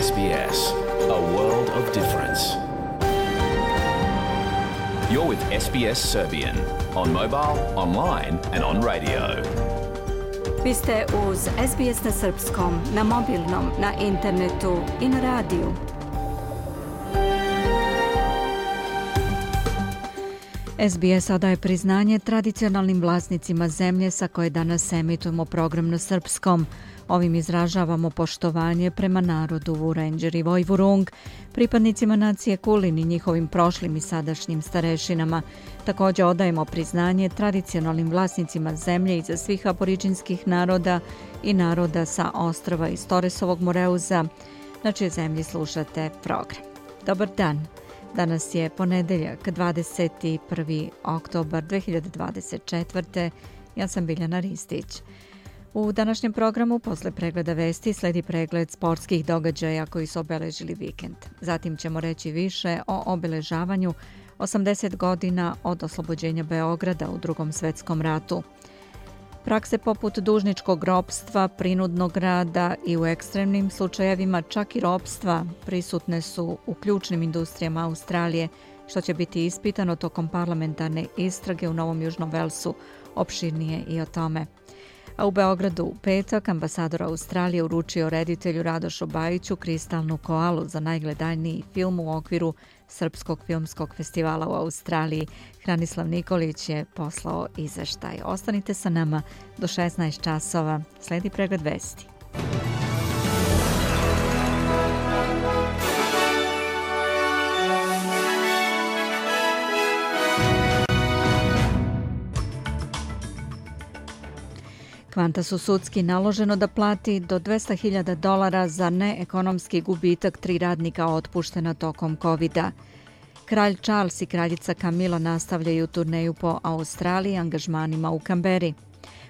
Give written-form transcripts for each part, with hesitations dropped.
SBS, a world of difference. You're with SBS Serbian on mobile, online and on radio. Vi ste uz SBS na srpskom, na mobilnom, na internetu i na radiju. SBS odaje priznanje tradicionalnim vlasnicima zemlje sa koje danas emitujemo program na srpskom. Ovim izražavamo poštovanje prema narodu Vurenđer i Vojvurung, pripadnicima nacije Kulin i njihovim prošlim i sadašnjim starešinama. Također odajemo priznanje tradicionalnim vlasnicima zemlje iza svih aboriđinskih naroda i naroda sa ostrva iz Toresovog Moreuza, na čije zemlji slušate program. Dobar dan! Danas je ponedeljak, 21. oktobar 2024. Ja sam Biljana Ristić. U današnjem programu posle pregleda vesti sledi pregled sportskih događaja koji su obeležili vikend. Zatim ćemo reći više o obeležavanju 80 godina od oslobođenja Beograda u Drugom svetskom ratu. Prakse poput dužničkog ropstva, prinudnog rada i u ekstremnim slučajevima čak i ropstva prisutne su u ključnim industrijama Australije, što će biti ispitano tokom parlamentarne istrage u Novom Južnom Velsu, opširnije i o tome. A u Beogradu u petak ambasador Australije uručio reditelju Radošu Bajiću kristalnu koalu za najgledaniji film u okviru Srpskog filmskog festivala u Australiji. Hranislav Nikolić je poslao izveštaj. Ostanite sa nama do 16 časova. Sledi pregled vesti. Qantasu sudski naloženo da plati do $200,000 za neekonomski gubitak 3 radnika otpuštena tokom COVID-a. Kralj Charles i kraljica Camilla nastavljaju turneju po Australiji angažmanima u Kamberi.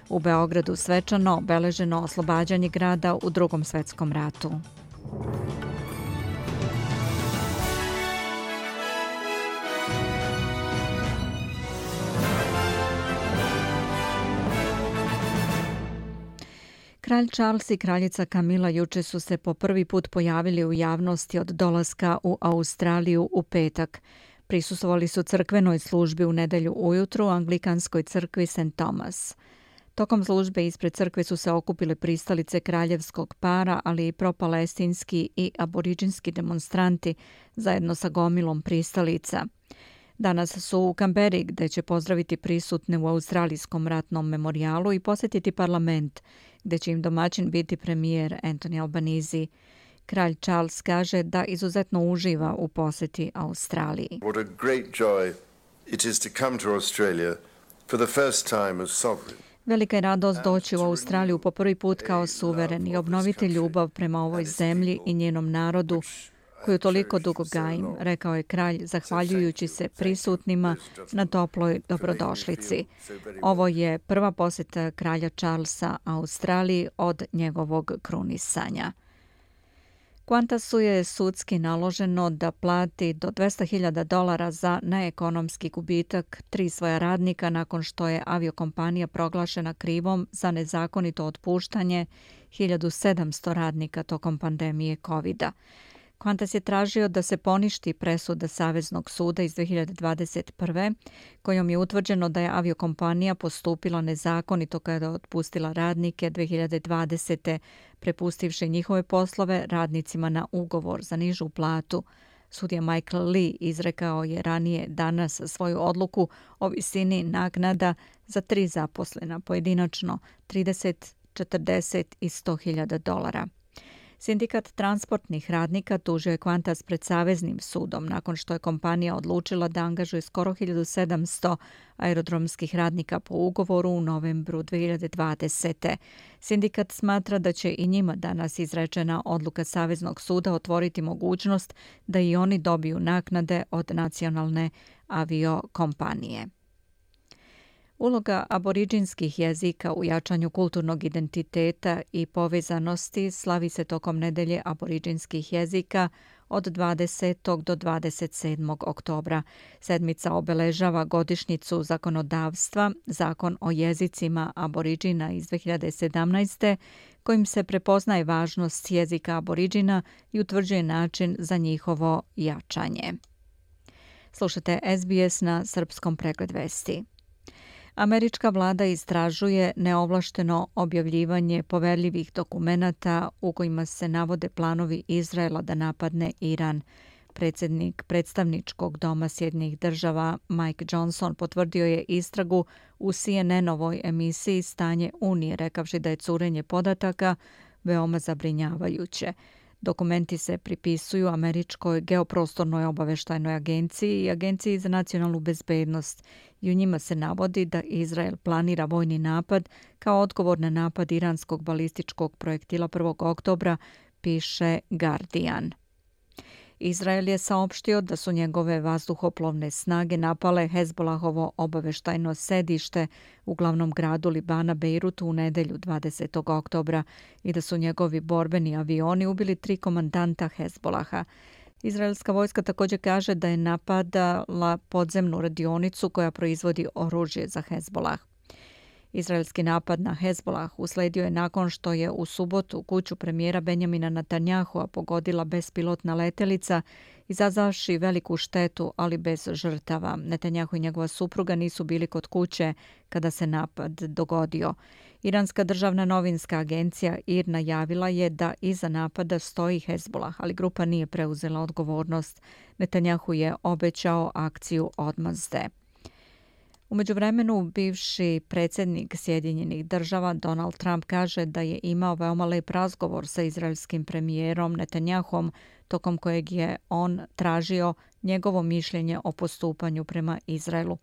U Beogradu svečano obeleženo oslobađanje grada u Drugom svetskom ratu. Kralj Charles i kraljica Camilla juče su se po prvi put pojavili u javnosti od dolaska u Australiju u petak. Prisustvovali su crkvenoj službi u nedelju ujutru u anglikanskoj crkvi St. Thomas. Tokom službe ispred crkve su se okupile pristalice kraljevskog para, ali i propalestinski i aboriđinski demonstranti zajedno sa gomilom pristalica. Danas su u Kamberi, gde će pozdraviti prisutne u Australijskom ratnom memorijalu i posjetiti parlament, gde će im domaćin biti premijer Anthony Albanese. Kralj Charles kaže da izuzetno uživa u posjeti Australiji. What a great joy it is to come to Australia for the first time as sovereign. Velika je radost doći u Australiju po prvi put kao suveren i obnoviti ljubav prema ovoj zemlji i njenom narodu, koju toliko dugo gajim, rekao je kralj, zahvaljujući se prisutnima na toploj dobrodošlici. Ovo je prva posjeta kralja Charlesa Australiji od njegovog krunisanja. Qantasu je sudski naloženo da plati do $200,000 za neekonomski gubitak 3 svoja radnika nakon što je aviokompanija proglašena krivom za nezakonito otpuštanje 1700 radnika tokom pandemije COVID-a. Qantas je tražio da se poništi presuda Saveznog suda iz 2021. kojom je utvrđeno da je aviokompanija postupila nezakonito kada je otpustila radnike 2020. prepustivši njihove poslove radnicima na ugovor za nižu platu. Sudija Michael Lee izrekao je ranije danas svoju odluku o visini naknada za 3 zaposlena pojedinačno, 30, 40 i $100,000. Sindikat transportnih radnika tužio je Qantas pred Saveznim sudom nakon što je kompanija odlučila da angažuje skoro 1700 aerodromskih radnika po ugovoru u novembru 2020. Sindikat smatra da će i njima danas izrečena odluka Saveznog suda otvoriti mogućnost da i oni dobiju naknade od nacionalne aviokompanije. Uloga aboriđinskih jezika u jačanju kulturnog identiteta i povezanosti slavi se tokom nedelje aboriđinskih jezika od 20. do 27. oktobra. Sedmica obeležava godišnjicu zakonodavstva, Zakon o jezicima aboriđina iz 2017. kojim se prepoznaje važnost jezika aboriđina i utvrđuje način za njihovo jačanje. Slušate SBS na srpskom pregled vesti. Američka vlada istražuje neovlašteno objavljivanje poverljivih dokumenata u kojima se navode planovi Izraela da napadne Iran. Predsjednik predstavničkog doma Sjedinjenih država Mike Johnson potvrdio je istragu u CNN-ovoj emisiji Stanje Unije, rekavši da je curenje podataka veoma zabrinjavajuće. Dokumenti se pripisuju Američkoj geoprostornoj obaveštajnoj agenciji i Agenciji za nacionalnu bezbednost i u njima se navodi da Izrael planira vojni napad kao odgovor na napad iranskog balističkog projektila 1. oktobra, piše Guardian. Izrael je saopštio da su njegove vazduhoplovne snage napale Hezbolahovo obaveštajno sedište u glavnom gradu Libana Bejrutu u nedelju 20. oktobra i da su njegovi borbeni avioni ubili 3 komandanta Hezbolaha. Izraelska vojska također kaže da je napadala podzemnu radionicu koja proizvodi oružje za Hezbolah. Izraelski napad na Hezbolah usledio je nakon što je u subotu kuću premijera Benjamina Netanjahua pogodila bespilotna letelica, izazvavši veliku štetu, ali bez žrtava. Netanjahu i njegova supruga nisu bili kod kuće kada se napad dogodio. Iranska državna novinska agencija IR najavila je da iza napada stoji Hezbolah, ali grupa nije preuzela odgovornost. Netanjahu je obećao akciju odmazde. U međuvremenu, bivši predsjednik Sjedinjenih država Donald Trump kaže da je imao veoma lep razgovor sa izraelskim premijerom Netanjahom, tokom kojeg je on tražio njegovo mišljenje o postupanju prema Izraelu.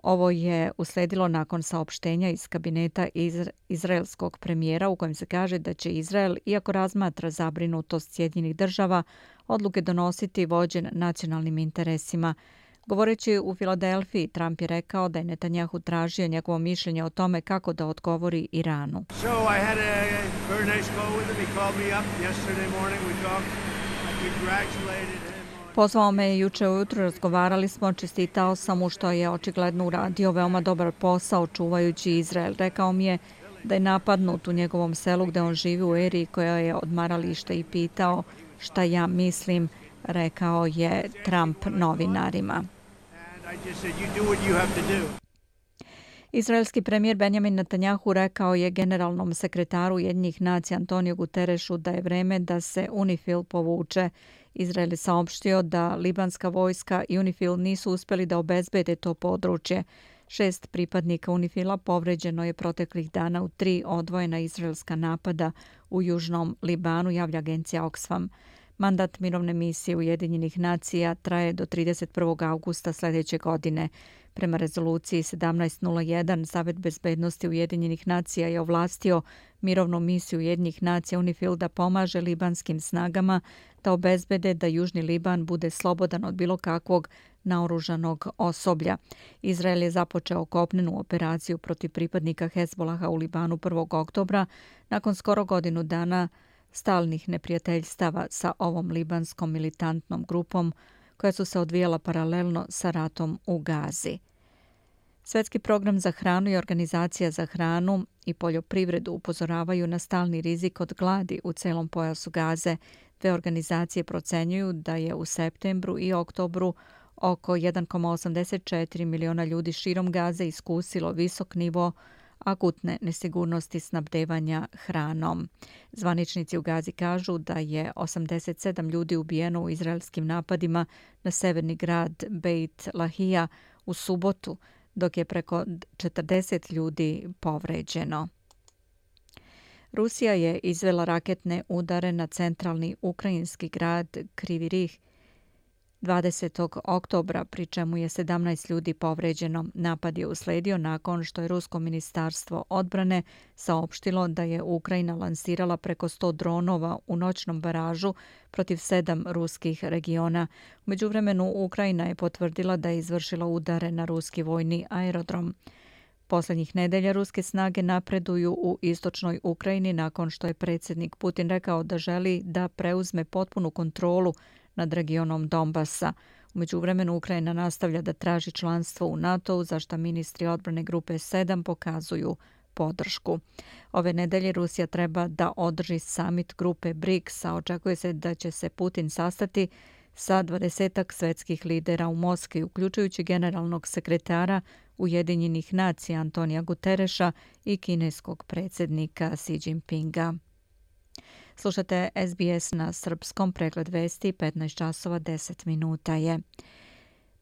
Ovo je usledilo nakon saopštenja iz kabineta izraelskog premijera u kojem se kaže da će Izrael, iako razmatra zabrinutost Sjedinjenih država, odluke donositi vođen nacionalnim interesima. Govoreći u Filadelfiji, Trump je rekao da je Netanjahu tražio njegovo mišljenje o tome kako da odgovori Iranu. Pozvao me je juče ujutro, razgovarali smo, čestitao sam mu što je očigledno uradio veoma dobar posao čuvajući Izrael. Rekao mi je da je napadnut u njegovom selu gde on živi u Eri koja je odmaralište i pitao šta ja mislim, rekao je Trump novinarima. Izraelski premijer Benjamin Netanjahu rekao je generalnom sekretaru Ujedinjenih nacija Antoniju Guterešu da je vreme da se UNIFIL povuče. Izrael je saopštio da libanska vojska i UNIFIL nisu uspjeli da obezbede to područje. 6 pripadnika UNIFIL-a povređeno je proteklih dana u 3 odvojena izraelska napada u južnom Libanu, javlja agencija Oxfam. Mandat mirovne misije Ujedinjenih nacija traje do 31. augusta sljedeće godine. Prema rezoluciji 1701, Savet bezbednosti Ujedinjenih nacija je ovlastio mirovnu misiju Ujedinjenih nacija UNIFIL da pomaže libanskim snagama da obezbede da Južni Liban bude slobodan od bilo kakvog naoružanog osoblja. Izrael je započeo kopnenu operaciju protiv pripadnika Hezbolaha u Libanu 1. oktobra nakon skoro godinu dana stalnih neprijateljstava sa ovom libanskom militantnom grupom koja su se odvijala paralelno sa ratom u Gazi. Svjetski program za hranu i Organizacija za hranu i poljoprivredu upozoravaju na stalni rizik od gladi u celom pojasu Gaze. Dve organizacije procenjuju da je u septembru i oktobru oko 1,84 miliona ljudi širom Gaze iskusilo visok nivo akutne nesigurnosti snabdevanja hranom. Zvaničnici u Gazi kažu da je 87 ljudi ubijeno u izraelskim napadima na severni grad Beit Lahija u subotu, dok je preko 40 ljudi povređeno. Rusija je izvela raketne udare na centralni ukrajinski grad Krivi Rih 20. oktobra, pri čemu je 17 ljudi povređeno. Napad je usledio nakon što je Rusko ministarstvo odbrane saopštilo da je Ukrajina lansirala preko 100 dronova u noćnom baražu protiv 7 ruskih regiona. U međuvremenu Ukrajina je potvrdila da je izvršila udare na ruski vojni aerodrom. Posljednjih nedelja ruske snage napreduju u istočnoj Ukrajini nakon što je predsjednik Putin rekao da želi da preuzme potpunu kontrolu nad regionom Donbasa. U međuvremenu Ukrajina nastavlja da traži članstvo u NATO-u, za što ministri odbrane grupe 7 pokazuju podršku. Ove nedelje Rusija treba da održi samit grupe BRICS, a očekuje se da će se Putin sastati sa 20 svetskih lidera u Moskvi, uključujući generalnog sekretara Ujedinjenih nacija Antonija Gutereša i kineskog predsjednika Xi Jinpinga. Slušate SBS na srpskom, pregled vesti, 15 časova 10 minuta je.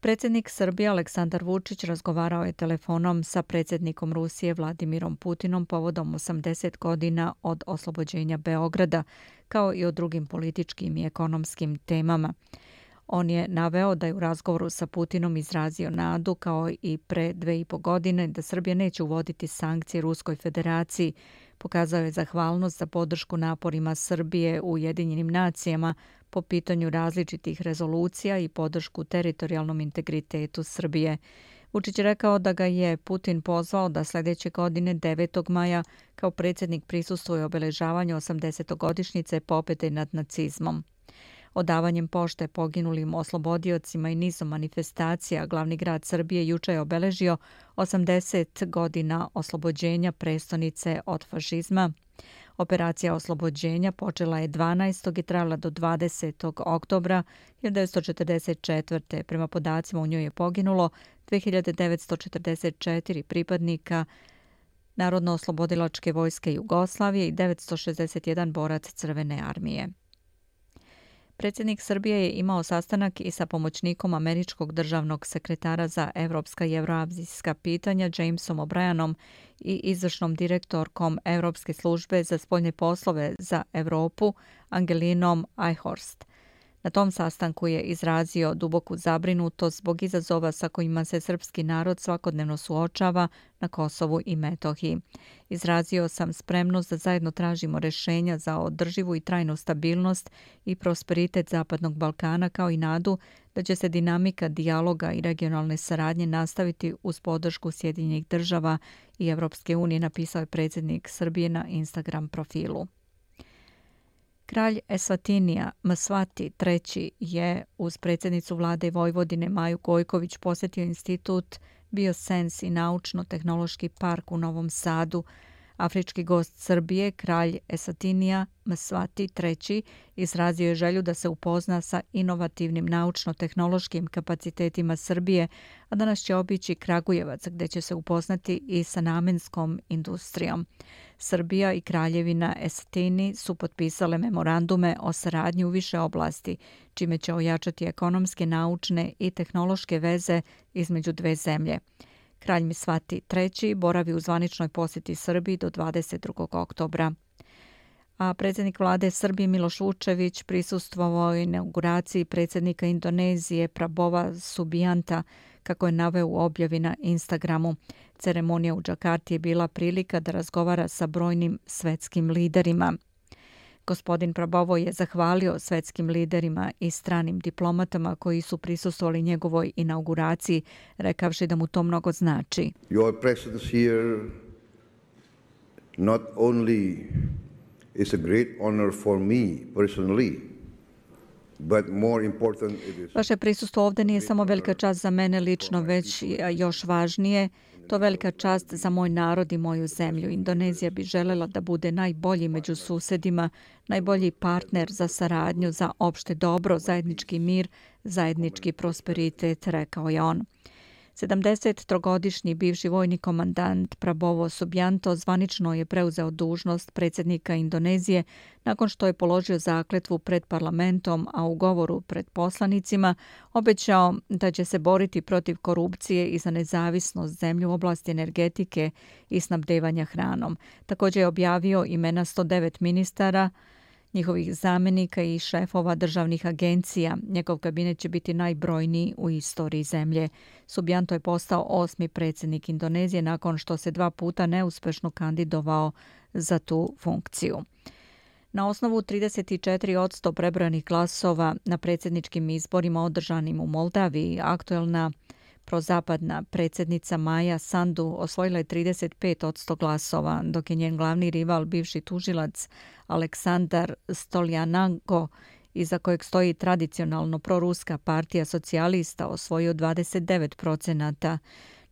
Predsjednik Srbije Aleksandar Vučić razgovarao je telefonom sa predsjednikom Rusije Vladimirom Putinom povodom 80 godina od oslobođenja Beograda, kao i o drugim političkim i ekonomskim temama. On je naveo da je u razgovoru sa Putinom izrazio nadu, kao i pre 2,5 godine, da Srbija neće uvoditi sankcije Ruskoj federaciji. Pokazao je zahvalnost za podršku naporima Srbije u Ujedinjenim nacijama po pitanju različitih rezolucija i podršku teritorijalnom integritetu Srbije. Vučić je rekao da ga je Putin pozvao da sljedeće godine 9. maja kao predsjednik prisustvuje obeležavanju 80-godišnjice pobjede nad nacizmom. Odavanjem pošte poginulim oslobodiocima i nizom manifestacija glavni grad Srbije juče je obeležio 80 godina oslobođenja prestonice od fašizma. Operacija oslobođenja počela je 12. i trajala do 20. oktobra 1944. Prema podacima u njoj je poginulo 2944 pripadnika Narodno-oslobodilačke vojske Jugoslavije i 961 borac Crvene armije. Predsjednik Srbije je imao sastanak i sa pomoćnikom američkog državnog sekretara za evropska i evroazijska pitanja Jamesom O'Brienom i izvršnom direktorkom Evropske službe za spoljne poslove za Evropu Angelinom Eichhorst. Na tom sastanku je izrazio duboku zabrinutost zbog izazova sa kojima se srpski narod svakodnevno suočava na Kosovu i Metohiji. Izrazio sam spremnost da zajedno tražimo rješenja za održivu i trajnu stabilnost i prosperitet Zapadnog Balkana, kao i nadu da će se dinamika dijaloga i regionalne saradnje nastaviti uz podršku Sjedinjenih država i Evropske unije, napisao je predsjednik Srbije na Instagram profilu. Kralj Eswatinija Mswati III je uz predsjednicu vlade Vojvodine Maju Gojković posjetio institut Biosens i naučno-tehnološki park u Novom Sadu. Afrički gost Srbije, kralj Eswatinija Mswati III izrazio je želju da se upozna sa inovativnim naučno-tehnološkim kapacitetima Srbije, a danas će obići Kragujevac gdje će se upoznati i sa namenskom industrijom. Srbija i Kraljevina Eswatini su potpisale memorandume o saradnji u više oblasti, čime će ojačati ekonomske, naučne i tehnološke veze između dve zemlje. Kralj Mswati III boravi u zvaničnoj posjeti Srbiji do 22. oktobra. A predsjednik vlade Srbije Miloš Vučević prisustvovao je inauguraciji predsjednika Indonezije Prabowa Subianta, kako je naveo u objavi na Instagramu. Ceremonija u Džakarti je bila prilika da razgovara sa brojnim svetskim liderima. Gospodin Prabowo je zahvalio svetskim liderima i stranim diplomatama koji su prisustvovali njegovoj inauguraciji, rekavši da mu to mnogo znači. Your presence here not only is a great honor for me personally, but more important it is. Vaše prisustvo ovdje nije samo velika čast za mene lično, već još važnije, to je velika čast za moj narod i moju zemlju. Indonezija bi željela da bude najbolji među susjedima, najbolji partner za saradnju, za opšte dobro, zajednički mir, zajednički prosperitet, rekao je on. 73-godišnji bivši vojni komandant Prabowo Subianto zvanično je preuzeo dužnost predsjednika Indonezije nakon što je položio zakletvu pred parlamentom, a u govoru pred poslanicima obećao da će se boriti protiv korupcije i za nezavisnost zemlje u oblasti energetike i snabdevanja hranom. Također je objavio imena 109 ministara, njihovih zamjenika i šefova državnih agencija. Njegov kabinet će biti najbrojniji u istoriji zemlje. Subianto je postao 8. predsjednik Indonezije nakon što se 2 puta neuspješno kandidovao za tu funkciju. Na osnovu 34% prebrojanih glasova na predsjedničkim izborima održanim u Moldaviji, aktuelna prozapadna predsjednica Maja Sandu osvojila je 35% glasova, dok je njen glavni rival, bivši tužilac Aleksandar Stoljananko, iza kojeg stoji tradicionalno proruska partija socijalista, osvojio 29%.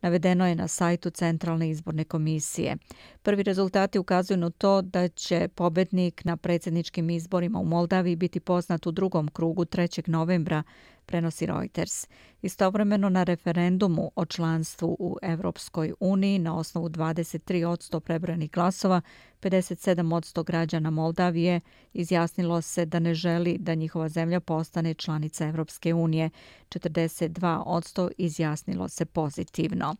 navedeno je na sajtu Centralne izborne komisije. Prvi rezultati ukazuju na to da će pobednik na predsjedničkim izborima u Moldaviji biti poznat u drugom krugu 3. novembra, prenosi Reuters. Istovremeno na referendumu o članstvu u Evropskoj uniji na osnovu 23% prebrojenih glasova, 57% građana Moldavije izjasnilo se da ne želi da njihova zemlja postane članica Evropske unije. 42% izjasnilo se pozitivno.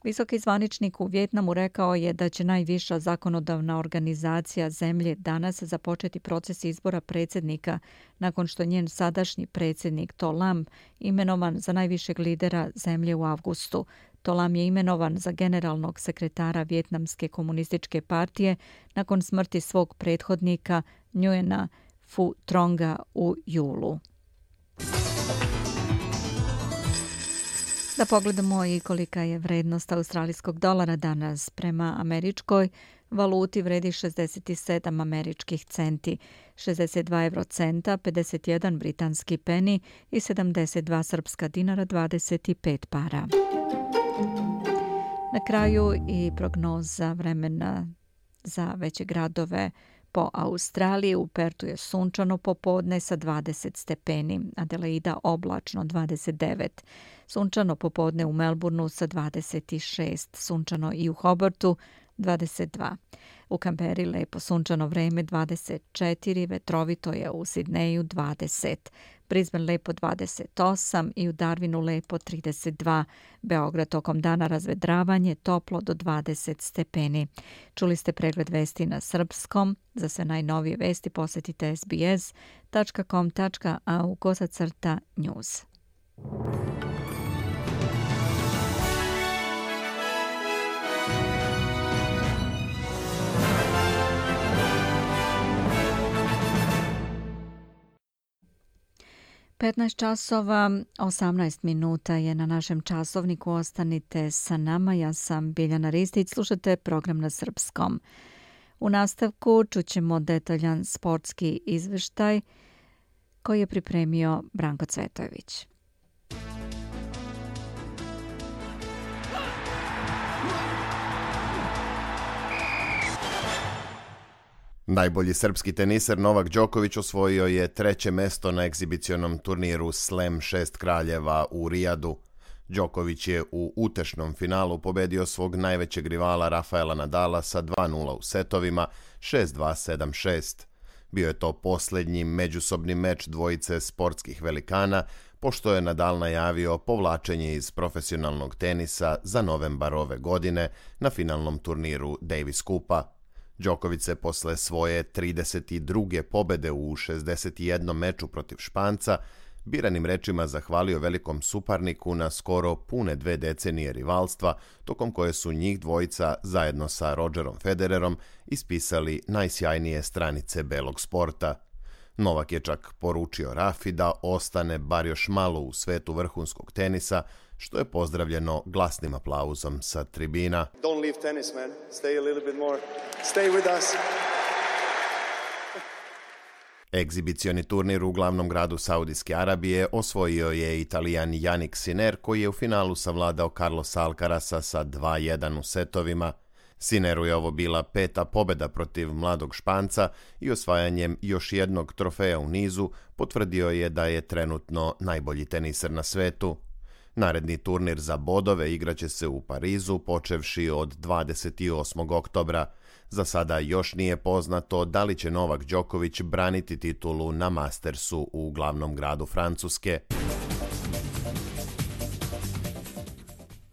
Visoki zvaničnik u Vijetnamu rekao je da će najviša zakonodavna organizacija zemlje danas započeti proces izbora predsjednika nakon što njen sadašnji predsjednik To Lam imenovan za najvišeg lidera zemlje u avgustu. To Lam je imenovan za generalnog sekretara Vijetnamske komunističke partije nakon smrti svog prethodnika Nguyen Phu Tronga u julu. Da pogledamo i kolika je vrednost australijskog dolara danas. Prema američkoj valuti vredi 67 američkih centi, 62 eurocenta, 51 britanski peni i 72 srpska dinara 25 para. Na kraju i prognoza vremena za veće gradove po Australiji. U Pertu je sunčano popodne sa 20 stepeni, Adelaida oblačno 29, sunčano popodne u Melbourneu sa 26, sunčano i u Hobartu 22. U Kamberi lepo sunčano vreme 24, vetrovito je u Sidneju 20, Brisbane lepo 28 i u Darwinu lepo 32. Beograd tokom dana razvedravanje, toplo do 20 stepeni. Čuli ste pregled vesti na srpskom. Za sve najnovije vesti posjetite sbs.com.au/news. (15:18) je na našem časovniku. Ostanite sa nama. Ja sam Biljana Ristić. Slušate program na srpskom. U nastavku čućemo detaljan sportski izveštaj koji je pripremio Branko Cvetojević. Najbolji srpski teniser Novak Đoković osvojio je 3. mesto na egzibicionom turniru Slam 6 kraljeva u Rijadu. Đoković je u utešnom finalu pobedio svog najvećeg rivala Rafaela Nadala sa 2:0 u setovima 6-2, 7-6. Bio je to posljednji međusobni meč dvojice sportskih velikana, pošto je Nadal najavio povlačenje iz profesionalnog tenisa za novembar ove godine na finalnom turniru Davis Cupa. Đoković se posle svoje 32. pobede u 61 meču protiv Španca biranim rečima zahvalio velikom suparniku na skoro pune 2 decenije rivalstva, tokom koje su njih dvojica zajedno sa Rogerom Federerom ispisali najsjajnije stranice belog sporta. Novak je čak poručio Rafi da ostane bar još malo u svetu vrhunskog tenisa, što je pozdravljeno glasnim aplauzom sa tribina. Don't leave tennis, man. Stay a little bit more. Stay with us. Egzibicioni turnir u glavnom gradu Saudijske Arabije osvojio je Italijan Jannik Sinner, koji je u finalu savladao Carlosa Alcarasa sa 2:1 u setovima. Sinneru je ovo bila 5. pobeda protiv mladog Španca i osvajanjem još jednog trofeja u nizu potvrdio je da je trenutno najbolji teniser na svetu. Naredni turnir za bodove igraće se u Parizu počevši od 28. oktobra. Za sada još nije poznato da li će Novak Đoković braniti titulu na Mastersu u glavnom gradu Francuske.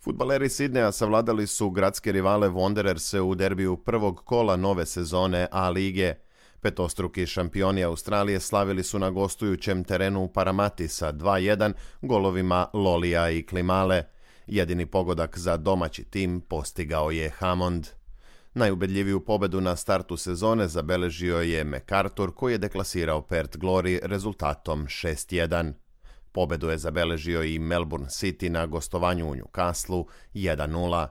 Fudbaleri Sidneja savladali su gradske rivale Wandererse u derbiju prvog kola nove sezone A lige. Petostruki šampioni Australije slavili su na gostujućem terenu u Paramati sa 2:1 golovima Lolija i Klimale. Jedini pogodak za domaći tim postigao je Hammond. Najubedljiviju pobedu na startu sezone zabeležio je MacArthur, koji je deklasirao Perth Glory rezultatom 6:1. Pobedu je zabeležio i Melbourne City na gostovanju u Newcastleu 1:0.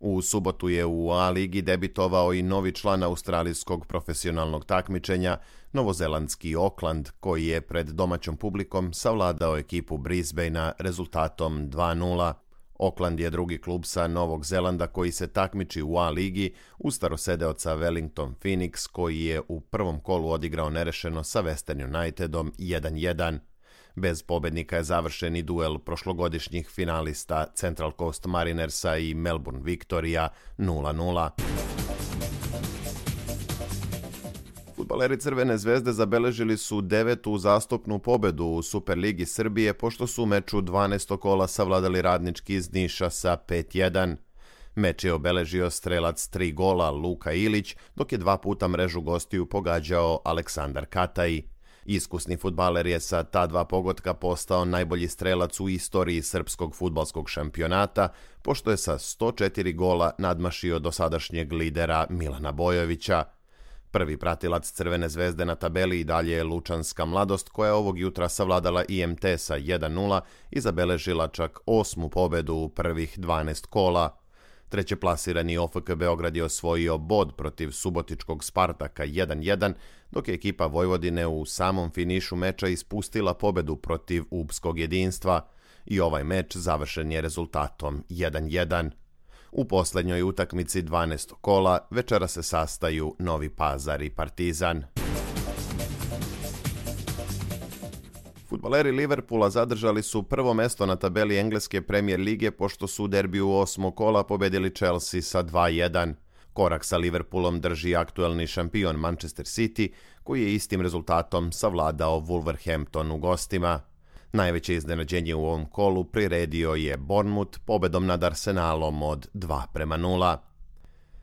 U subotu je u A ligi debitovao i novi član australijskog profesionalnog takmičenja, novozelandski Auckland, koji je pred domaćom publikom savladao ekipu Brisbanea rezultatom 2:0. Auckland je drugi klub sa Novog Zelanda koji se takmiči u A ligi uz starosedeoca Wellington Phoenix koji je u prvom kolu odigrao nerešeno sa Western Unitedom 1-1. Bez pobednika je završen i duel prošlogodišnjih finalista Central Coast Marinersa i Melbourne Victoria 0-0. Fudbaleri Crvene zvezde zabeležili su 9. uzastopnu pobedu u Superligi Srbije pošto su u meču 12. kola savladali Radnički iz Niša sa 5-1. Meč je obeležio strelac 3 gola Luka Ilić, dok je 2 puta mrežu gostiju pogađao Aleksandar Kataj. Iskusni fudbaler je sa ta 2 pogotka postao najbolji strelac u istoriji srpskog fudbalskog šampionata, pošto je sa 104 gola nadmašio dosadašnjeg lidera Milana Bojovića. Prvi pratilac Crvene zvezde na tabeli i dalje je Lučanska Mladost, koja je ovog jutra savladala IMT sa 1-0 i zabeležila čak 8. pobedu u prvih 12 kola. Treće plasirani OFK Beograd je osvojio bod protiv subotičkog Spartaka 1-1, dok je ekipa Vojvodine u samom finišu meča ispustila pobedu protiv Upskog Jedinstva i ovaj meč završen je rezultatom 1-1. U posljednjoj utakmici 12. kola večera se sastaju Novi Pazar i Partizan. Fudbaleri Liverpoola zadržali su prvo mesto na tabeli engleske Premier lige pošto su u derbiju 8. kola pobedili Chelsea sa 2-1. Korak sa Liverpoolom drži aktuelni šampion Manchester City, koji je istim rezultatom savladao Wolverhampton u gostima. Najveće iznenađenje u ovom kolu priredio je Bournemouth pobedom nad Arsenalom od 2-0.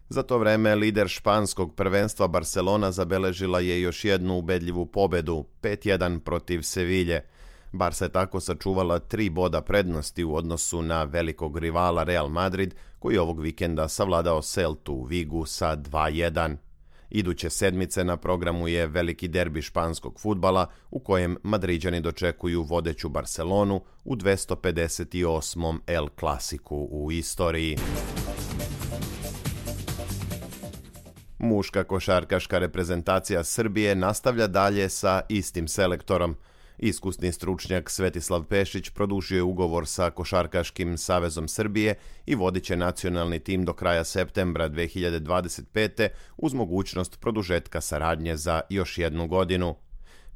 Za to vreme lider španskog prvenstva Barcelona zabeležila je još jednu ubedljivu pobedu, 5-1 protiv Sevilje. Barca je tako sačuvala 3 boda prednosti u odnosu na velikog rivala Real Madrid, koji ovog vikenda savladao Celtu u Vigu sa 2-1. Iduće sedmice na programu je veliki derbi španskog fudbala u kojem Madriđani dočekuju vodeću Barcelonu u 258. El Clasiku u istoriji. Muška košarkaška reprezentacija Srbije nastavlja dalje sa istim selektorom. Iskusni stručnjak Svetislav Pešić produžio je ugovor sa Košarkaškim savezom Srbije i vodit će nacionalni tim do kraja septembra 2025. uz mogućnost produžetka saradnje za još 1 godinu.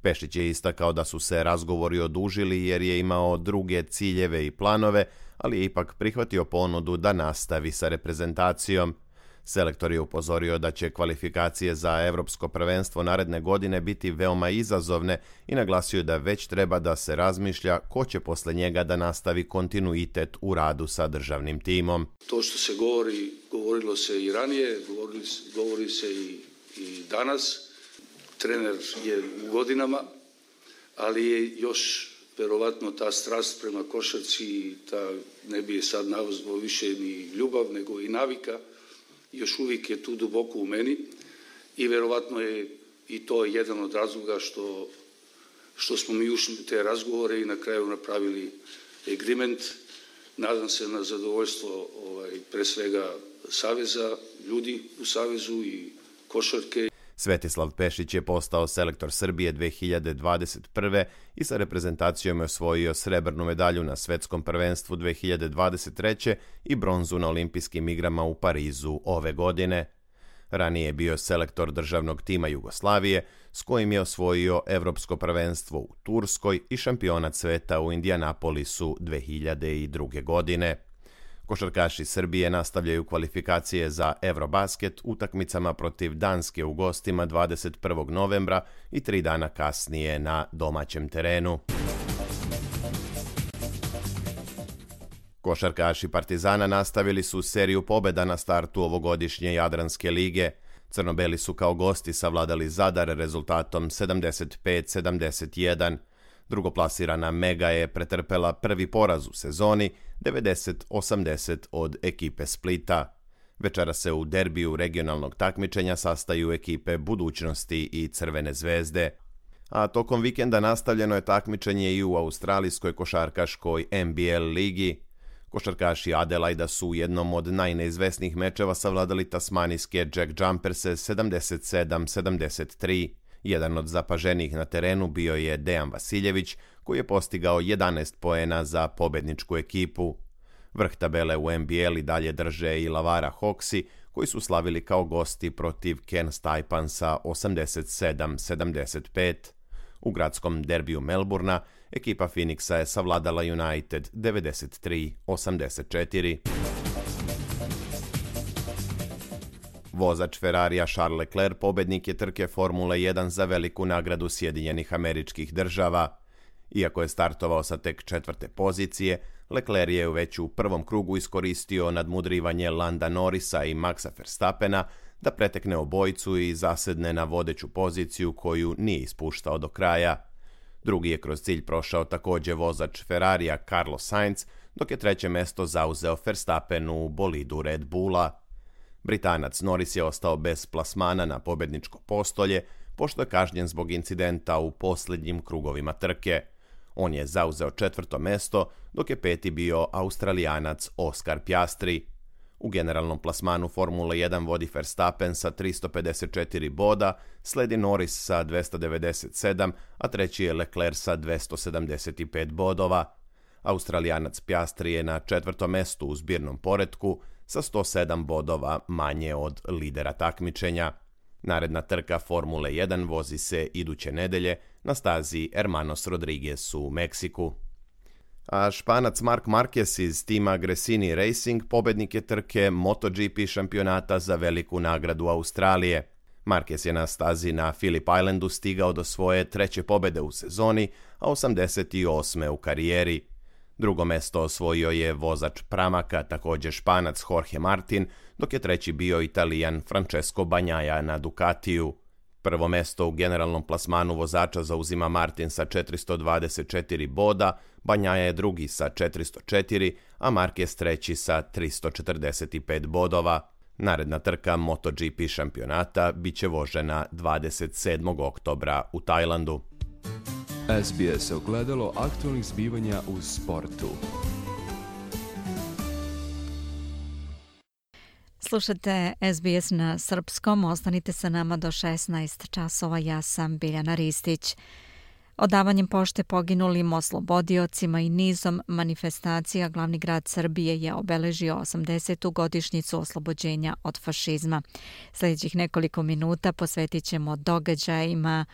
Pešić je istakao da su se razgovori odužili jer je imao druge ciljeve i planove, ali je ipak prihvatio ponudu da nastavi sa reprezentacijom. Selektor je upozorio da će kvalifikacije za Evropsko prvenstvo naredne godine biti veoma izazovne i naglasio da već treba da se razmišlja ko će posle njega da nastavi kontinuitet u radu sa državnim timom. To što se govorilo se i ranije, govori se i danas. Trener je u godinama, ali je još verovatno ta strast prema košarci, ne bi je sad nazvao više ni ljubav, nego i navika, još uvijek je tu duboko u meni i verovatno je i to jedan od razloga što smo mi ušli u te razgovore i na kraju napravili agreement. Nadam se na zadovoljstvo pre svega Saveza, ljudi u Savezu i košarke. Svetislav Pešić je postao selektor Srbije 2021. i sa reprezentacijom je osvojio srebrnu medalju na svetskom prvenstvu 2023. i bronzu na olimpijskim igrama u Parizu ove godine. Ranije je bio selektor državnog tima Jugoslavije, s kojim je osvojio Evropsko prvenstvo u Turskoj i šampionat sveta u Indianapolisu 2002. godine. Košarkaši Srbije nastavljaju kvalifikacije za Eurobasket utakmicama protiv Danske u gostima 21. novembra i 3 dana kasnije na domaćem terenu. Košarkaši Partizana nastavili su seriju pobjeda na startu ovogodišnje Jadranske lige. Crnobeli su kao gosti savladali Zadar rezultatom 75-71. Drugoplasirana Mega je pretrpela prvi poraz u sezoni, 90-80 od ekipe Splita. Večera se u derbiju regionalnog takmičenja sastaju ekipe Budućnosti i Crvene zvezde. A tokom vikenda nastavljeno je takmičenje i u australijskoj košarkaškoj NBL ligi. Košarkaši Adelaida su u jednom od najneizvesnijih mečeva savladali tasmanijske Jack Jumperse 77-73. Jedan od zapaženijih na terenu bio je Dejan Vasiljević, koji je postigao 11 poena za pobedničku ekipu. Vrh tabele u NBL i dalje drže i Lavara Hawksi, koji su slavili kao gosti protiv Cairns Taipansa 87-75. U gradskom derbiju Melbourna ekipa Phoenixa je savladala United 93-84. Vozač Ferrarija Charles Leclerc pobednik je trke Formule 1 za veliku nagradu Sjedinjenih Američkih Država. Iako je startovao sa tek 4. pozicije, Leclerc je već u prvom krugu iskoristio nadmudrivanje Landa Norrisa i Maxa Verstappena da pretekne obojicu i zasedne na vodeću poziciju koju nije ispuštao do kraja. Drugi je kroz cilj prošao također vozač Ferrarija Carlos Sainz, dok je treće mesto zauzeo Verstappen u bolidu Red Bulla. Britanac Norris je ostao bez plasmana na pobjedničko postolje, pošto je kažnjen zbog incidenta u posljednjim krugovima trke. On je zauzeo 4. mesto, dok je 5. bio Australijanac Oscar Piastri. U generalnom plasmanu Formule 1 vodi Verstappen sa 354 boda, sledi Norris sa 297, a treći je Leclerc sa 275 bodova. Australijanac Piastri je na 4. mestu u zbirnom poretku sa 107 bodova manje od lidera takmičenja. Naredna trka Formule 1 vozi se iduće nedelje na stazi Hermanos Rodriguez u Meksiku. A Španac Marc Marquez iz tima Gresini Racing pobednik je trke MotoGP šampionata za veliku nagradu Australije. Marquez je na stazi na Phillip Islandu stigao do svoje 3. pobjede u sezoni, a 88. u karijeri. Drugo mesto osvojio je vozač Pramaka, također Španac Jorge Martin, dok je treći bio Italijan Francesco Bagnaia na Ducatiju. Prvo mesto u generalnom plasmanu vozača zauzima Martin sa 424 boda, Bagnaia je drugi sa 404, a Marquez treći sa 345 bodova. Naredna trka MotoGP šampionata bit će vožena 27. oktobra u Tajlandu. SBS ogledalo aktualnih zbivanja u sportu. Slušate SBS na srpskom, ostanite sa nama do 16 časova, ja sam Biljana Ristić. Odavanjem pošte poginulim oslobodiocima i nizom manifestacija glavni grad Srbije je obeležio 80. godišnjicu oslobođenja od fašizma. Sljedećih nekoliko minuta posvetit ćemo događajima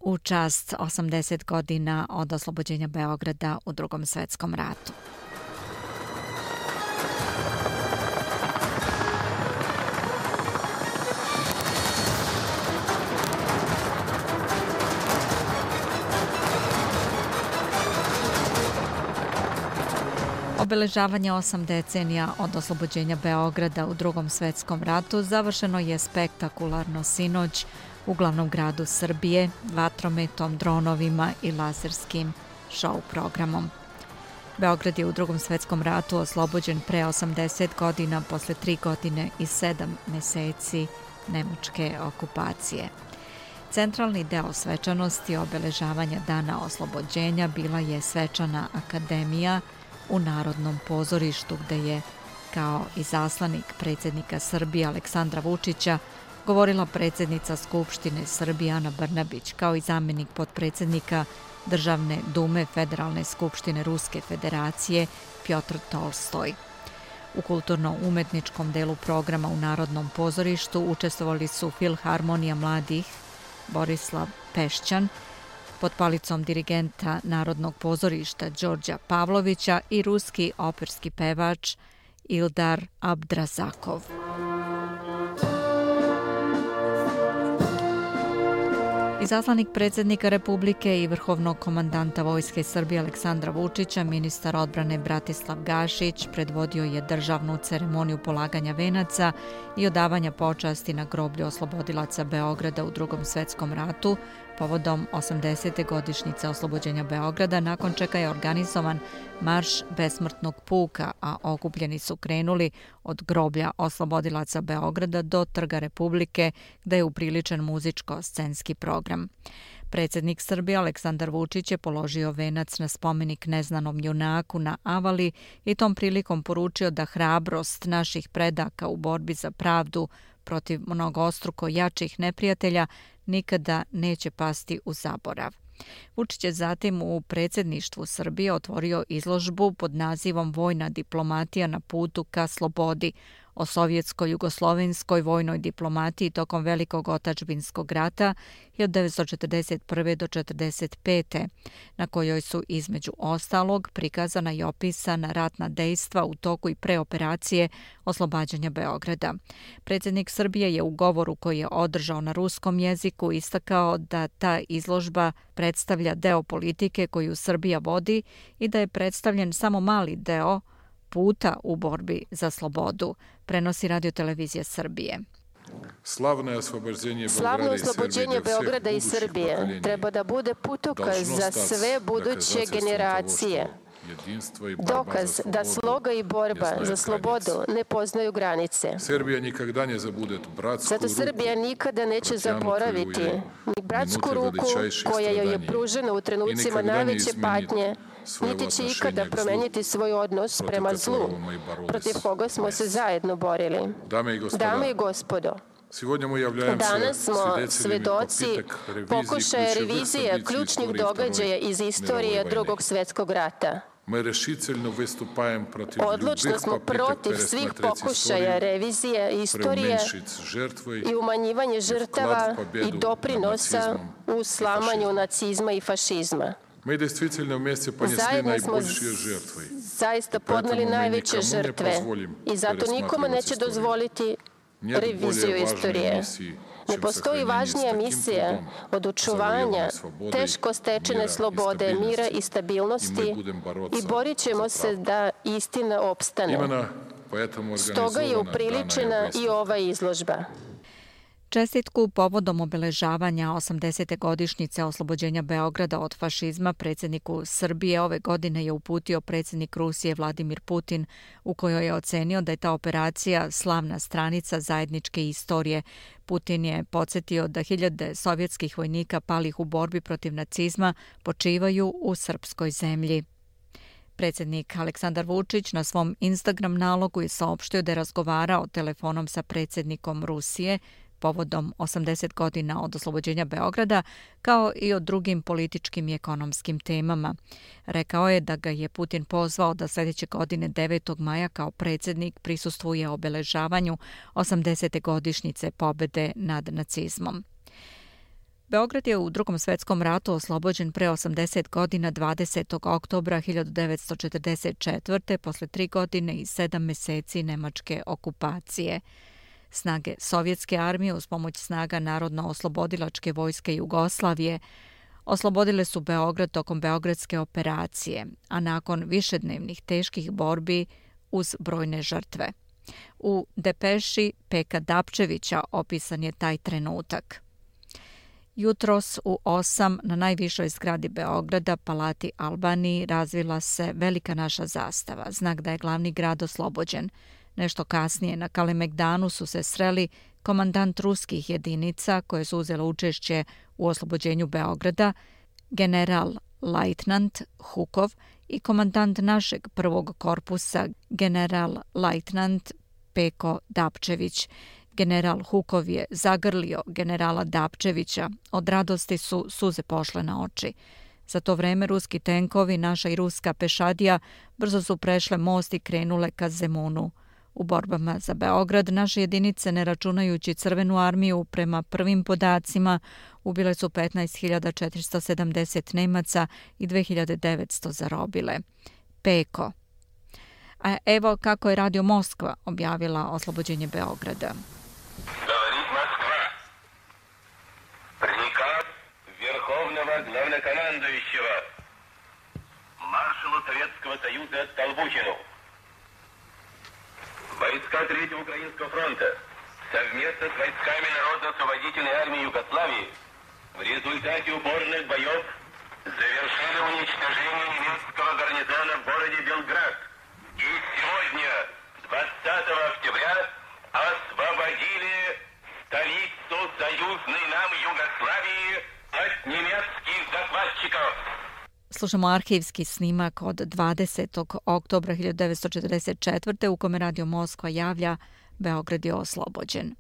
u čast 80 godina od oslobođenja Beograda u Drugom svjetskom ratu. Obeležavanje 8 decenija od oslobođenja Beograda u Drugom svjetskom ratu završeno je spektakularno sinoć u glavnom gradu Srbije, vatrometom, dronovima i laserskim show programom. Beograd je u Drugom svjetskom ratu oslobođen pre 80 godina posle 3 godine i 7 meseci nemačke okupacije. Centralni deo svečanosti obeležavanja dana oslobođenja bila je svečana akademija u Narodnom pozorištu, gde je kao izaslanik predsjednika Srbije Aleksandra Vučića govorila predsjednica Skupštine Srbije Ana Brnabić, kao i zamjenik potpredsjednika Državne dume Federalne skupštine Ruske federacije Pjotr Tolstoj. U kulturno-umetničkom delu programa u Narodnom pozorištu učestvovali su Filharmonija mladih Borislav Pešćan pod palicom dirigenta Narodnog pozorišta Đorđa Pavlovića i ruski operski pevač Ildar Abdrazakov. Izaslanik predsjednika Republike i vrhovnog komandanta Vojske Srbije Aleksandra Vučića, ministar odbrane Bratislav Gašić, predvodio je državnu ceremoniju polaganja venaca i odavanja počasti na groblju oslobodilaca Beograda u Drugom svjetskom ratu povodom 80. godišnjice oslobođenja Beograda, nakon čega je organizovan marš besmrtnog puka, a okupljeni su krenuli od groblja oslobodilaca Beograda do Trga Republike, gde je upriličen muzičko-scenski program. Predsjednik Srbije Aleksandar Vučić je položio venac na spomenik neznanom junaku na Avali i tom prilikom poručio da hrabrost naših predaka u borbi za pravdu protiv mnogostruko jačih neprijatelja nikada neće pasti u zaborav. Vučić je zatim u predsjedništvu Srbije otvorio izložbu pod nazivom Vojna diplomatija na putu ka slobodi, o sovjetsko-jugoslovenskoj vojnoj diplomatiji tokom Velikog otadžbinskog rata 1941. do 1945. na kojoj su između ostalog prikazana i opisana ratna dejstva u toku i pre operacije oslobađanja Beograda. Predsjednik Srbije je u govoru koji je održao na ruskom jeziku istakao da ta izložba predstavlja deo politike koju Srbija vodi i da je predstavljen samo mali deo puta u borbi za slobodu, prenosi Radio-televizija Srbije. Slavno oslobođenje Beograda i Srbije treba da bude putokaz za sve buduće generacije. Dokaz da sloga i borba za slobodu ne poznaju granice. Zato Srbija nikada neće zaboraviti ni bratsku ruku koja joj je pružena u trenucima najveće patnje, niti će ikada promeniti svoj odnos prema zlu, protiv koga smo se zajedno borili. Dame i gospodo, danas smo svedoci pokušaja revizije ključnih događaja iz istorije Drugog svjetskog rata. Odlučno smo protiv svih pokušaja revizije istorije i umanjivanje žrtava i doprinosa u slamanju nacizma i fašizma. Zajedno smo zaista podneli najveće žrtve i zato nikome neće dozvoliti reviziju istorije. Ne postoji važnija misija od očuvanja teško stečene slobode, mira i stabilnosti i borit ćemo se da istina opstane. Stoga je upriličena i ova izložba. Čestitku povodom obeležavanja 80. godišnjice oslobođenja Beograda od fašizma predsjedniku Srbije ove godine je uputio predsjednik Rusije Vladimir Putin, u kojoj je ocenio da je ta operacija slavna stranica zajedničke istorije. Putin je podsjetio da hiljade sovjetskih vojnika palih u borbi protiv nacizma počivaju u srpskoj zemlji. Predsjednik Aleksandar Vučić na svom Instagram nalogu je saopštio da je razgovarao telefonom sa predsjednikom Rusije povodom 80 godina od oslobođenja Beograda, kao i o drugim političkim i ekonomskim temama. Rekao je da ga je Putin pozvao da sljedeće godine 9. maja kao predsjednik prisustvuje obeležavanju 80. godišnjice pobjede nad nacizmom. Beograd je u Drugom svjetskom ratu oslobođen pre 80 godina 20. oktobra 1944. posle 3 godine i 7 meseci nemačke okupacije. Snage Sovjetske armije uz pomoć snaga Narodno-oslobodilačke vojske Jugoslavije oslobodile su Beograd tokom Beogradske operacije, a nakon višednevnih teških borbi uz brojne žrtve. U depeši Peka Dapčevića opisan je taj trenutak. Jutros u 8 na najvišoj zgradi Beograda, Palati Albaniji, razvila se velika naša zastava, znak da je glavni grad oslobođen. Nešto kasnije na Kalemegdanu su se sreli komandant ruskih jedinica koje su uzele učešće u oslobođenju Beograda, general-lajtnant Hukov i komandant našeg prvog korpusa, general-lajtnant Peko Dapčević. General Hukov je zagrlio generala Dapčevića. Od radosti su suze pošle na oči. Za to vreme ruski tenkovi, naša i ruska pešadija, brzo su prešle most i krenule ka Zemunu. U borbama za Beograd naše jedinice, ne računajući Crvenu armiju, prema prvim podacima ubile su 15.470 Nemaca i 2.900 zarobile. Peko. A evo kako je Radio Moskva objavila oslobođenje Beograda. Говорит Москва. Приказ Верховного Главнокомандующего маршалу Советского Союза Столбухину. Войска Третьего Украинского фронта совместно с войсками Народно-освободительной армии Югославии в результате упорных боев завершили уничтожение немецкого гарнизона в городе Белград. И сегодня, 20 октября, освободили столицу союзной нам Югославии от немецких захватчиков. Slušamo arhivski snimak od 20. oktobra 1944. u kome Radio Moskva javlja Beograd je oslobođen.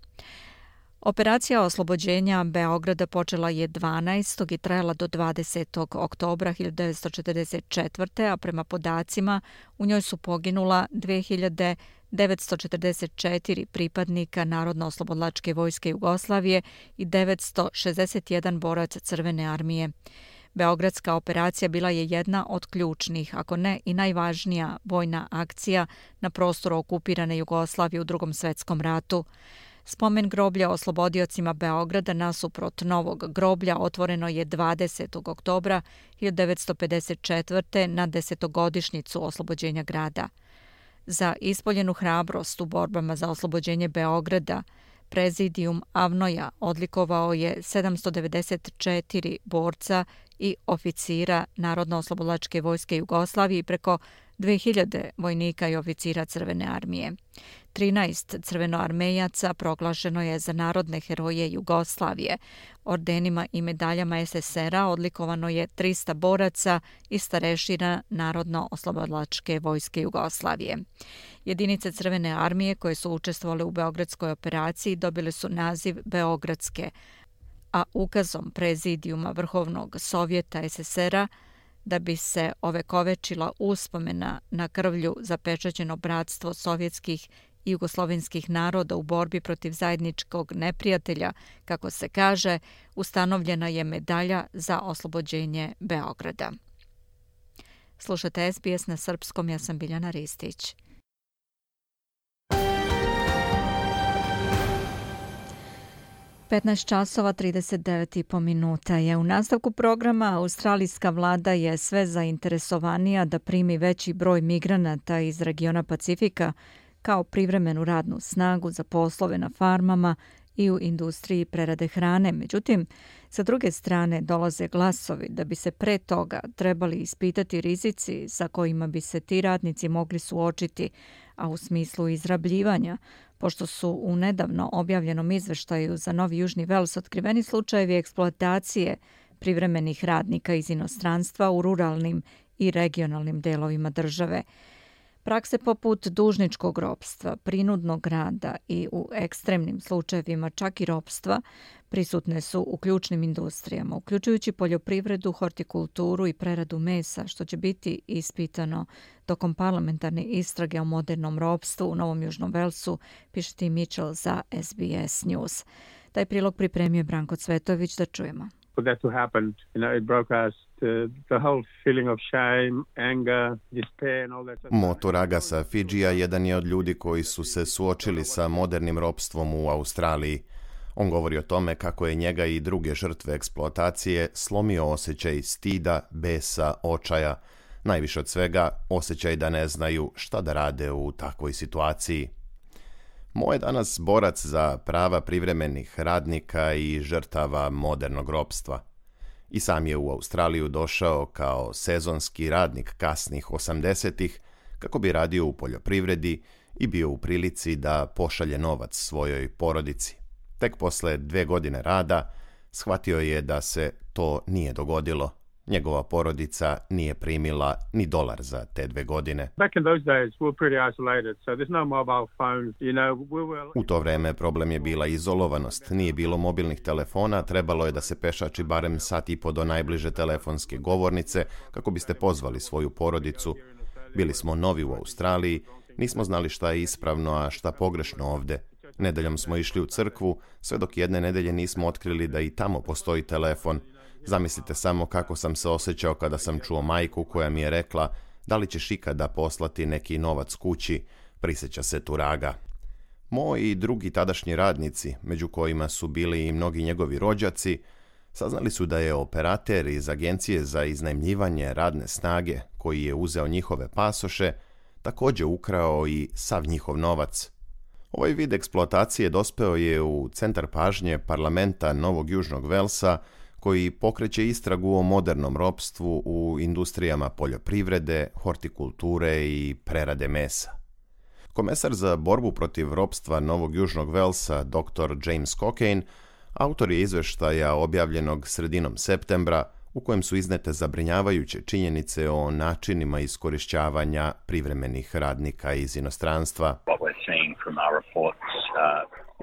Operacija oslobođenja Beograda počela je 12. i trajala do 20. oktobra 1944. a prema podacima u njoj su poginula 2944 pripadnika Narodno-oslobodilačke vojske Jugoslavije i 961 borac Crvene armije. Beogradska operacija bila je jedna od ključnih, ako ne i najvažnija vojna akcija na prostoru okupirane Jugoslavije u Drugom svetskom ratu. Spomen groblja oslobodiocima Beograda nasuprot novog groblja otvoreno je 20. oktobra 1954. na 10-godišnjicu oslobođenja grada. Za ispoljenu hrabrost u borbama za oslobođenje Beograda Prezidijum Avnoja odlikovao je 794 borca i oficira Narodno-oslobodilačke vojske Jugoslavije i preko 2000 vojnika i oficira Crvene armije. 13 crvenoarmejaca proglašeno je za narodne heroje Jugoslavije. Ordenima i medaljama SSR-a odlikovano je 300 boraca i starešina Narodno-oslobodilačke vojske Jugoslavije. Jedinice Crvene armije koje su učestvovale u Beogradskoj operaciji dobile su naziv Beogradske, a ukazom Prezidijuma Vrhovnog sovjeta SSR-a da bi se ovekovečila uspomena na krvlju zapečaćeno bratstvo sovjetskih i jugoslovenskih naroda u borbi protiv zajedničkog neprijatelja, kako se kaže, ustanovljena je medalja za oslobođenje Beograda. Slušate SBS na srpskom, ja sam Biljana Ristić. časova 39,5 minuta je u nastavku programa. Australijska vlada je sve zainteresovanija da primi veći broj migranata iz regiona Pacifika kao privremenu radnu snagu za poslove na farmama i u industriji prerade hrane. Međutim, sa druge strane dolaze glasovi da bi se pre toga trebali ispitati rizici sa kojima bi se ti radnici mogli suočiti, a u smislu izrabljivanja, pošto su u nedavno objavljenom izveštaju za Novi Južni Vels otkriveni slučajevi eksploatacije privremenih radnika iz inostranstva u ruralnim i regionalnim delovima države. Prakse poput dužničkog ropstva, prinudnog rada i u ekstremnim slučajevima čak i ropstva prisutne su u ključnim industrijama, uključujući poljoprivredu, hortikulturu i preradu mesa, što će biti ispitano tokom parlamentarne istrage o modernom ropstvu u Novom Južnom Velsu, piše Tim Mitchell za SBS News. Taj prilog pripremio je Branko Cvetović, da čujemo. For that to happen, it broke us the whole feeling of shame, anger, despair and all that. Motor Agasa Fidžija jedan je od ljudi koji su se suočili sa modernim ropstvom u Australiji. On govori o tome kako je njega i druge žrtve eksploatacije slomio osjećaj stida, besa, očaja. Najviše od svega osjećaj da ne znaju šta da rade u takvoj situaciji. Mo je danas borac za prava privremenih radnika i žrtava modernog ropstva. I sam je u Australiju došao kao sezonski radnik kasnih 80-ih kako bi radio u poljoprivredi i bio u prilici da pošalje novac svojoj porodici. Tek posle 2 godine rada shvatio je da se to nije dogodilo. Njegova porodica nije primila ni $1 za te 2 godine. U to vreme problem je bila izolovanost. Nije bilo mobilnih telefona, trebalo je da se pešači barem sat i po do najbliže telefonske govornice kako biste pozvali svoju porodicu. Bili smo novi u Australiji, nismo znali šta je ispravno, a šta pogrešno ovde. Nedeljom smo išli u crkvu, sve dok jedne nedelje nismo otkrili da i tamo postoji telefon. Zamislite samo kako sam se osjećao kada sam čuo majku koja mi je rekla da li ćeš ikada poslati neki novac kući, prisjeća se Turaga. Mo i drugi tadašnji radnici, među kojima su bili i mnogi njegovi rođaci, saznali su da je operater iz agencije za iznajmljivanje radne snage, koji je uzeo njihove pasoše, također ukrao i sav njihov novac. Ovaj vid eksploatacije dospeo je u centar pažnje parlamenta Novog Južnog Velsa, koji pokreće istragu o modernom ropstvu u industrijama poljoprivrede, hortikulture i prerade mesa. Komesar za borbu protiv ropstva Novog Južnog Velsa, dr. James Cockayne, autor je izveštaja objavljenog sredinom septembra, u kojem su iznete zabrinjavajuće činjenice o načinima iskorišćavanja privremenih radnika iz inostranstva.